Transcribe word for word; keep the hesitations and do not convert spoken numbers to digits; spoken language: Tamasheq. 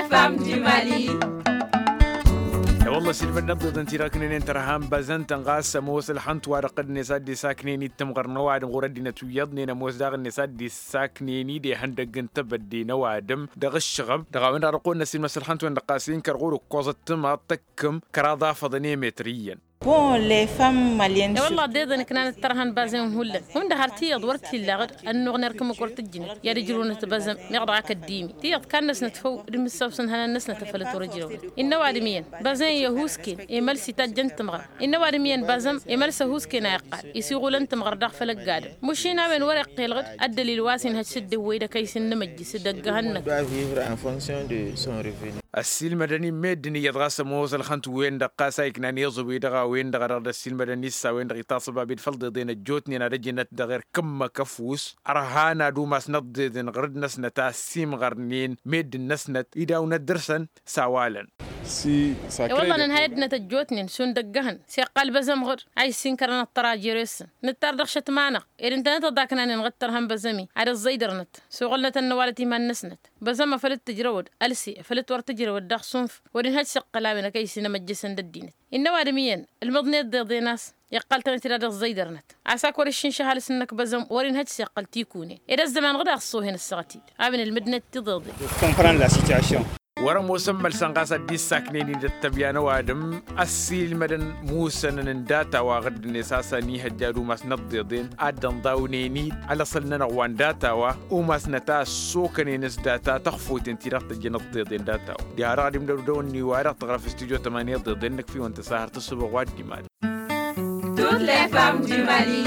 F M du Mali. E-wălla ăsilmădăn ăḍḍeḍăn-ti-dăɣ ǝknenen tărha n-bazăn-tăn ɣas ămoos ălxănt-wa-dăɣ dd-net ad-dd-isaknen-dd tǝmɣăr n-ăwadǝm ɣur-ăddinăt wi iyyăḍnen ămoos daɣ-net ad-dd-isaknen-dd ihăndăgg n-tebădde n-ăwadǝm dăɣ-ǝššăɣăb dăɣ-a-wen-dăɣ dăɣ-kăwăn-năsilmăs ălxănt-wen-dăɣ ɣas inkăr ɣur-ǝkkoẓăt tǝmaḍt tăkkăm kăraḍ afăḍăn i-metr iyyăn. Bon, les femmes maliennes. E-wălla ăḍḍeḍăn ǝknanăt tărha n-bazăn-in hullan hundăɣ har tiyyăḍ wăr t-illa aɣǝd ănnuɣ n-erk ǝmmǝk wăr tǝjjǝnăt i-ad-ǝjrǝwnăt bazăm meɣ dăɣ-ak ăddimi tiyyăḍ kannăsnăt făw d-imǝssawsăn ihănan-năsnăt afăl ătwăr-ǝjrăwnăt. Innă ăwadǝm iyyăn bazăn i-ăhuusken i-mălsi tajjăn tǝmɣăr. Innă ăwadǝm iyyăn bazăm i-mălsăhuusken a iqqal isiɣulăn tǝmɣăr daɣ făll-ăgg-adǝm. Mušin a-wen wăr-iqqel ɣǝd ăddălil wa s-inhăj s-dd-ewwey d-ăkăy s-innǝmǝjj s-dd-ăggăhăn-năk. Ăssiilmădăn-in meddǝn iyyăḍ ɣas ămoos ălxănt-wen-dăɣ ɣas a iknan iẓǝwi dăɣ-a-wen-dăɣ a dăɣ-dd-ăssiilmădăn issawen-dăɣ itaṣăbab d-făll-iḍeḍen ăjjootnen ad-ăjǝnăt dăɣ-erk ǝmmǝk ăfuss ărhan ad-umasnăt d-iḍeḍen ɣǝrǝd-năsnăt a ăssiimɣărnen meddǝn-năsnăt idawăn ad-dăr-săn. S-a-walăn. E-wălla nǝnhăy ăddinăt ăjjootnen šund ăggăhăn s-iqqal băzăm ɣǝr a issinkărăn ăṭṭăra jer-esăn nǝttar dăɣ-šătma-năɣ ed ǝntănăt ăḍaknanen ɣǝd tărha n-băzăm-i ad-ăẓẓăydărnăt s-oɣălnătăn n-ăwalăt iman-năsnăt. Băzăm afăl t-tǝjrăwăd ălse afăl t-wăr tǝjrăwăd daɣ sunf wăr-inhăj s-iqqăl a-wen ăkăy s-inămăjjăsăn d-ăddinăt. Innă ăwadǝm iyyăn ǝlmǝḍnet d-iḍen a-s iqqăl-tăn-dd ad-ăẓẓăydărnăt a-s ak wăr-iššǝnš ăhalǝs-năk băzăm wăr-inhăj s-iqqăl tikune ed ăzzăman ɣǝd a ăṣṣoohen ăssaɣăt-dd a-wen ǝlmǝdnet tiḍeḍen. Comprendre la situation. Wăr-ămoosăn mălsăn ɣas ad-dd-issaknen-dd ăttăbya n-ăwadǝm ăssiilmădăn musănăn n-data-wa ɣǝddǝnet a-s ănihăjja d-umas n-ăḍḍeḍen ad-dd-ănḍawnen-dd alăṣăl-nănăɣ wa n-data-wa umasnăt a ăssokănen s-data tăxfoten-ti-dăɣ tăjjăn ăḍḍeḍen data-wa. Diha-dăɣ ad-imdăw dăw-ǝnni-wa-dăɣ tăɣrăf studio tămani ăḍḍeḍen-năk fiwăn tăsahăr tǝssǝbăɣ wa dd-iman. Toutes les femmes du Mali.